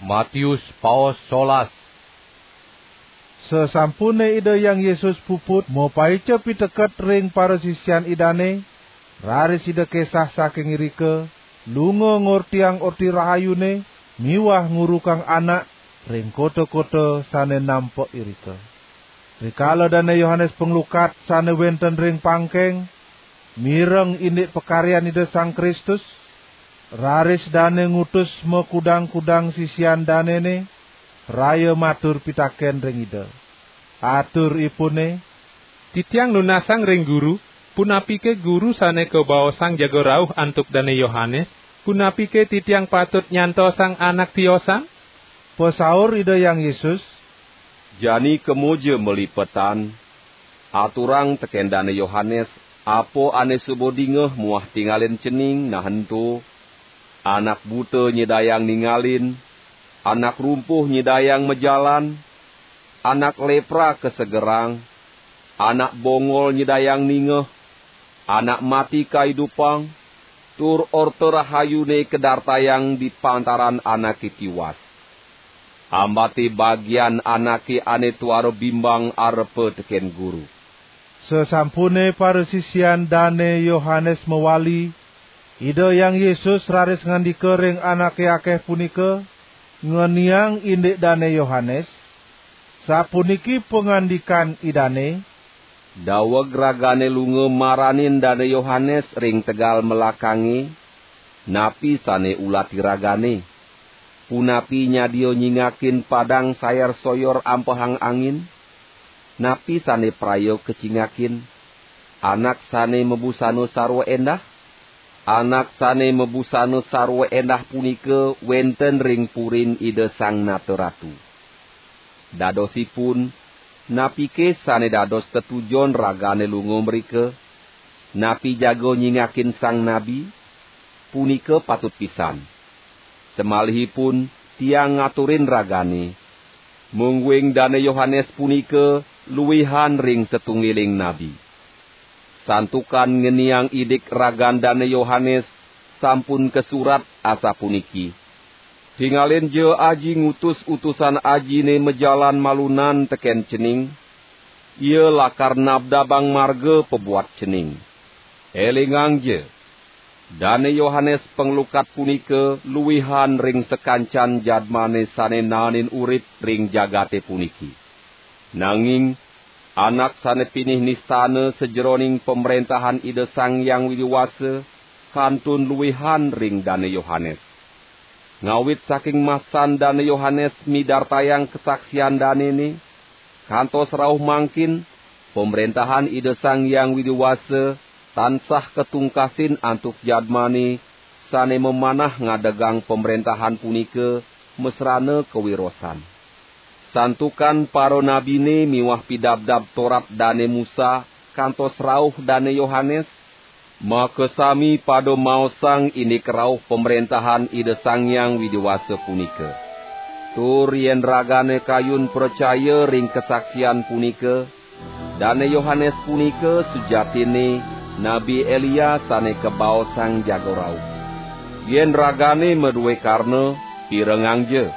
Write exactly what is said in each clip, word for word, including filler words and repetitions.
Matius paos solas. Sasampune Ida Hyang Yesus puput mapaica piteket ring parasisian Idane, raris Ida kesah saking irika, lunga ngortiang Orti Rahayune miwah ngurukang anak ring kota-kota sane nampek irika. Rikala Dane Yohanes Panglukat sane wenten ring pangkeng, mireng indik pakaryan Ida Sang Kristus, raris dane ngutus makudang-kudang sisian danene, raya matur pitaken ring Ida. Aturipune, "Titiang nunasang ring Guru, punapike Guru sane kabaosang jaga rauh antuk Dane Yohanes? Punapike titiang patut nyantosang anak tiosan?" Pasaur Ida Hyang Yesus, "Jani kemaja malipetan, aturang teken Dane Yohanes apa ane suba dingeh muah tingalin cening nah ento. Anak buta nyidayang ningalin, anak rumpuh nyidayang majalan, anak lepra kasegerang, anak bongol nyidayang ningeh, anak mati kaidupang, tur Orta Rahayune kadartayang di pantaran anake tiwas. Ambate bagian anake ane tuara bimbang arepa teken Guru." Sasampune parasisian Dane Yohanes mawali, Ida Hyang Yesus raris ngandika ring anake akeh punika, ngeniang indik Dane Yohanes, sapuniki pangandikan Idane, "Daweg ragane lunga maranin Dane Yohanes ring tegal melakange, napi sane ulati ragane? Punapi nyadia nyingakin padang sayer-soyor ampehang angin? Napi sane praya kacingakin? Anak sane mabusana sarwa endah? Anak sane mabusana sarwa endah punika wenten ring purin Ida Sang Nata Ratu. Dadosipun, napike sane dados tetujon ragane lunga mrika? Napi jaga nyingakin sang nabi? Punika patut pisan. Samalihipun tiang ngaturin ragane, mungguing Dane Yohanes punika luihan ring satunggiling nabi. Santukan ngeniang indik ragan Dane Yohanes sampun kasurat asapuniki: 'Tingalinja Aji ngutus utusan Ajine majalan malunan teken cening, ia lakar nabdabang marga pabuat cening.' Elingangja, Dane Yohanes Panglukat punika luihan ring sakancan jadmane sane naenin urip ring jagate puniki. Nanging anak sane pinih nistana sajeroning Pamrentahan Ida Sang Hyang Widi Wasa kantun luihan ring Dane Yohanes. Ngawit saking masan Dane Yohanes midartayang kasaksian danene, kantos rauh mangkin, Pamrentahan Ida Sang Hyang Widi Wasa tansah katungkasin antuk jadmane sane mamanah ngadegang Pamrentahan punika masrana kawirosan. Santukan paranabine miwah Pidabdab Torat Dane Musa kantos rauh Dane Yohanes, makasami pada maosang indik rauh Pamrentahan Ida Sang Hyang Widi Wasa punika. Tur yen ragane kayun pracaya ring kasaksian punika, Dane Yohanes punika sujatinne Nabi Elia sane kabaosang jaga rauh. Yen ragane madue karna, pirengangja.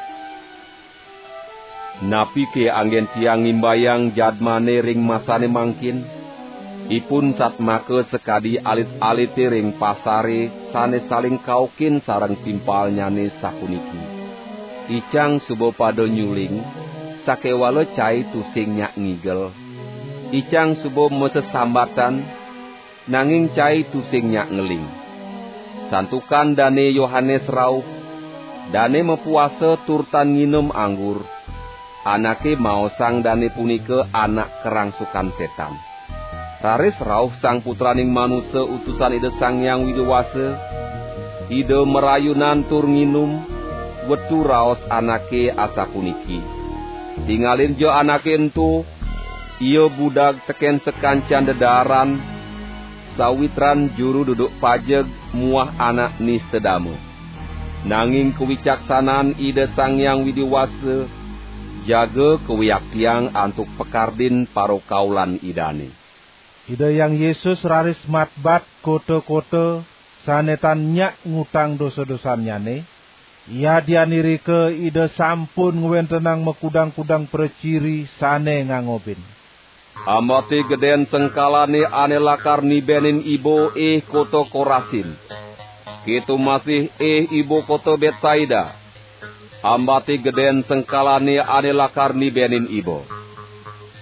Napike anggen tiang ngimbayang jadmane ring masane mangkin? Ipun satmaka sakadi alit-alite ring pasare sane saling kaukin sareng timpalnyane sapuniki: 'Icang suba pada nyuling, sakewala cai tusing nyak ngigel. Icang suba masesambatan, nanging cai tusing nyak ngeling.' Santukan Dane Yohanes rauh, dane mapuasa tur tan nginem anggur, anake maosang dane punika anak karangsukan setan. Raris rauh Sang Putraning Manusa utusan Ida Sang Hyang Widi Wasa, Ida marayunan tur nginum, wetu raos anake asapuniki: 'Tingalinja anake ento, ia budag teken sakancan dedaaran, sawitran juru duduk pajeg muah anak nista dama.' Nanging kawicaksanan Ida Sang Hyang Widi Wasa jaga kawiaktiang antuk pakardin parakaulan Idane." Ida Hyang Yesus raris matbat kota-kota sane tan nyak ngutang dosa-dosannyane, Yadian irika Ida sampun ngwentenang makudang-kudang praciri sane ngangobin. Ambate geden sengkalane ane lakar nibenin iba, ih kota Korasin. Keto masih, ih iba kota Betsaida. Ambate geden sengkalane ane lakar nibenin iba.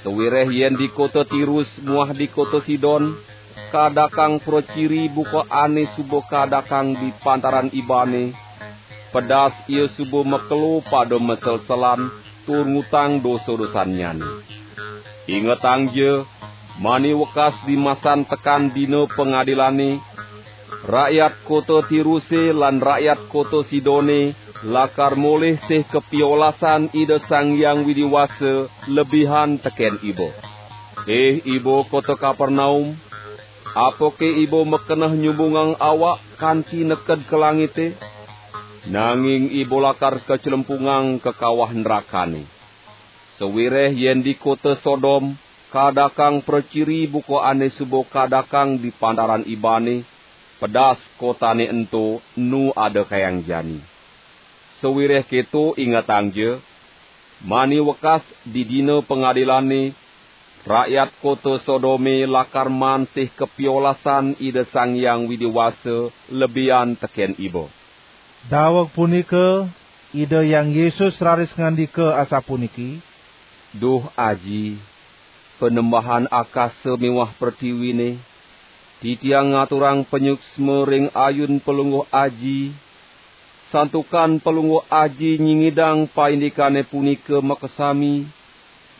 Sawireh yen di kota Tirus muah di kota Sidon, kadakang praciri buka ane suba kadakang di pantaran ibane, pedas ia suba makelo pada maselselan tur ngutang dosa-dosannyane. Ingetangja, mani wekas dimasan tekan dina pangadilane, rakyat kota Tiruse lan rakyat kota Sidone lakar molih sih kapiolasan Ida Sang Hyang Widi Wasa lebihan teken iba. Ih iba kota Kapernaum, apake iba makeneh nyumbungang awak kanti neked ka langite? Nanging iba lakar kaclempungang ka kawah nrakane. Sawireh yen di kota Sodom kadakang praciri buka ane suba kadakang di pantaran ibane, pedas kotane ento enu ada kayang jani. Sawireh keto ingetangja, mani wekas di dina pangadilane, rakyat kota Sodome lakar maan sih kapiolasan Ida Sang Hyang Widi Wasa lebihan teken iba. Daweg punika, Ida Hyang Yesus raris ngandika asapuniki, "Duh Aji, Panembahan akasa miwah pretiwine, titiang ngaturang panyuksma ring ayun Palungguh Aji, santukan Palungguh Aji nyingidang paindikane punika makasami,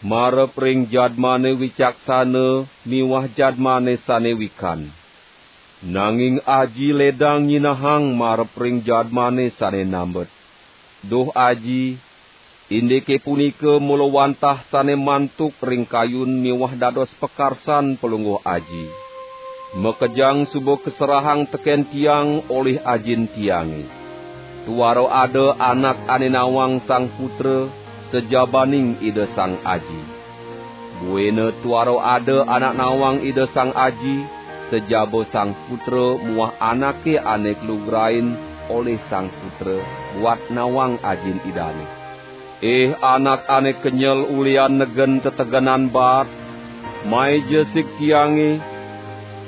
marep ring jadmane wicaksana miwah jadmane sane wikan. Nanging Aji ledang nyinahang marep ring jadmane sane nambet. Duh Aji, indike punika mula wantah sane mantuk ring kayun miwah dados pakarsan Palungguh Aji. Makejang suba kaserahang teken tiang olih Ajin tiange. Tuara ada anak ane nawang Sang Putra, sajabaning Ida Sang Aji. Buina tuara ada anak nawang Ida Sang Aji, sajaba Sang Putra muah anake ane kalugrain olih Sang Putra buat nawang Ajin Idane. Ih anak ane kenyel ulihan negen tetegenan baat, maija sig tiange,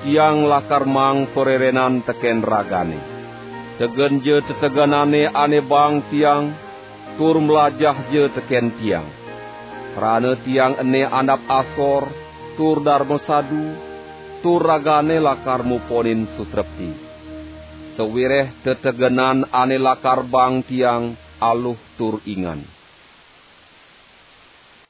tiang lakar maang parerenan teken ragane. Tegenja tetegenane ane baang tiang, tur mlajahja teken tiang. Krana tiang ene andap asor, tur darma sadu, tur ragane lakar muponin sutrepti. Sawireh tetegenan ane lakar baang tiang aluh tur ingan."